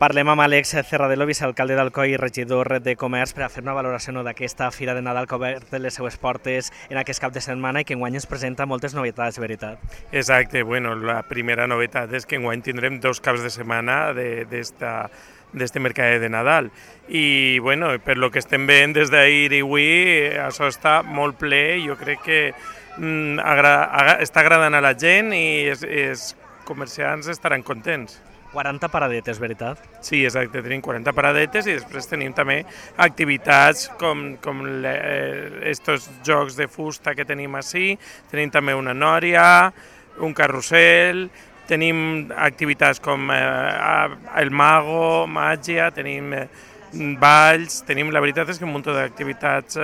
Parlem amb Àlex Cerradelo, vicealcalde d'Alcoi i regidor de Comerç, per a fer una valoració d'aquesta Fira de Nadal que ha obert les seues portes en aquest cap de setmana i que enguany ens presenta moltes novetats, veritat. Exacte, bueno, la primera novetat és que enguany tindrem 2 caps de setmana d'este mercat de Nadal. I bueno, per lo que estem veient des d'ahir i avui, això està molt ple, jo crec que està agradant a la gent i els comerciants estaran contents. 40 paradetes, veritat? Sí, exacte, tenim 40 paradetes i després tenim també activitats com estos jocs de fusta que tenim ací, tenim també una nòria, un carrusel, tenim activitats com el mago, màgia, tenim balls, la veritat és que un munt d'activitats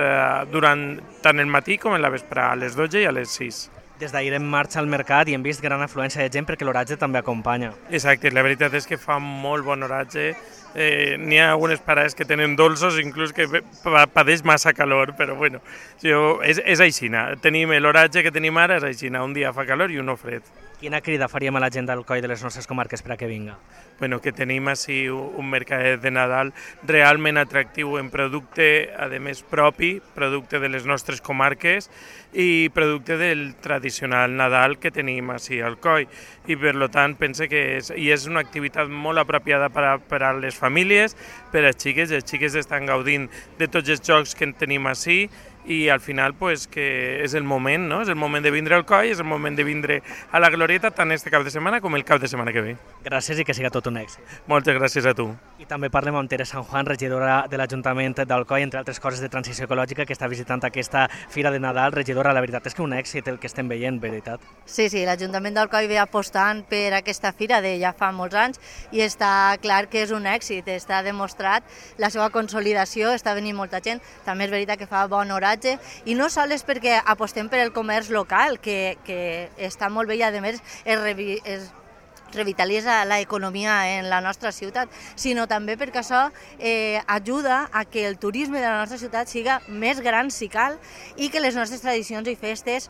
durant tant el matí com en la vesprada, a les 12 i a les 6. Des d'ahir en marxa al mercat i hem vist gran afluència de gent perquè l'oratge també acompanya. Exacte, la veritat és que fa molt bon oratge. N'hi ha algunes parades que tenen dolços, inclús que pateix massa calor, però bueno, és aixina. Tenim l'oratge que tenim ara, és aixina, un dia fa calor i un fred. Quina crida faríem a la gent d'Alcoi de les nostres comarques per a que vinga? Bueno, que tenim així un mercat de Nadal realment atractiu en producte, a més propi, producte de les nostres comarques i producte del tradicional Nadal que tenim així al Alcoi. I per tant pense que és una activitat molt apropiada per a les famílies, per a les xiques estan gaudint de tots els jocs que tenim així i al final pues, que és el moment, no? És el moment de vindre al Alcoi, és el moment de vindre a la Glorieta tant este cap de setmana com el cap de setmana que ve. Gràcies i que siga tot un èxit. Moltes gràcies a tu. I també parlem amb Tere San Juan, regidora de l'Ajuntament d'Alcoi, entre altres coses de transició ecològica, que està visitant aquesta Fira de Nadal. Regidora, la veritat és que un èxit el que estem veient, veritat? Sí, l'Ajuntament d'Alcoi ve apostant per aquesta fira de ja fa molts anys i està clar que és un èxit, està demostrat la seva consolidació, està venint molta gent, també és veritat que fa bon oratge i no sols perquè apostem per el comerç local, que està molt bé i a més es revitalitza l'economia en la nostra ciutat, sinó també perquè això ajuda a que el turisme de la nostra ciutat siga més gran si cal i que les nostres tradicions i festes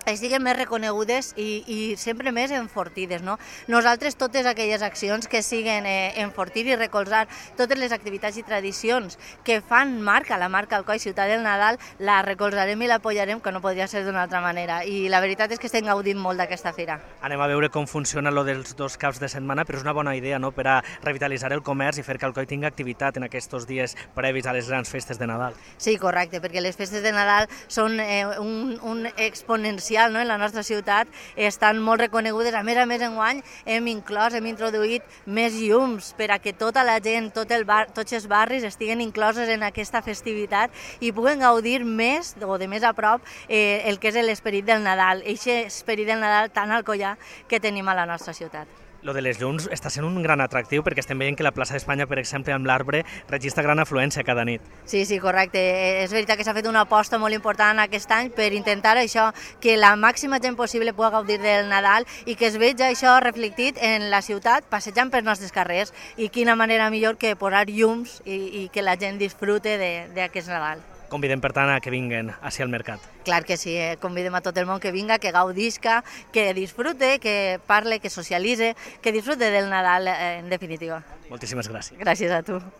estiguen més reconegudes i sempre més enfortides. No? Nosaltres totes aquelles accions que siguen enfortir i recolzar totes les activitats i tradicions que fan la marca Alcoi Ciutat del Nadal, la recolzarem i l'apoyarem, que no podria ser d'una altra manera. I la veritat és que estem gaudint molt d'aquesta fira. Anem a veure com funciona lo dels 2 caps de setmana, però és una bona idea, no?, per a revitalitzar el comerç i fer que Alcoi tingui activitat en aquests dies previs a les grans festes de Nadal. Sí, correcte, perquè les festes de Nadal són un exponencial, no? En la nostra ciutat estan molt reconegudes. A més, enguany hem introduït més llums per a que tota la gent, tots els barris estiguen incloses en aquesta festivitat i puguen gaudir més o de més a prop el que és l'esperit del Nadal, aquest esperit del Nadal tan alcoià que tenim a la nostra ciutat. Lo de les llums està sent un gran atractiu perquè estem veient que la plaça d'Espanya, per exemple, amb l'Arbre, registra gran afluència cada nit. Sí, correcte. És veritat que s'ha fet una aposta molt important aquest any per intentar això, que la màxima gent possible pugui gaudir del Nadal i que es vegi això reflectit en la ciutat passejant pels nostres carrers. I quina manera millor que posar llums i que la gent disfrute d'aquest Nadal. Convidem, per tant, a que vinguen hacia el mercat. Clar que sí, convidem a tot el món que vinga, que gaudisca, que disfrute, que parle, que socialitze, que disfrute del Nadal, en definitiva. Moltíssimes gràcies. Gràcies a tu.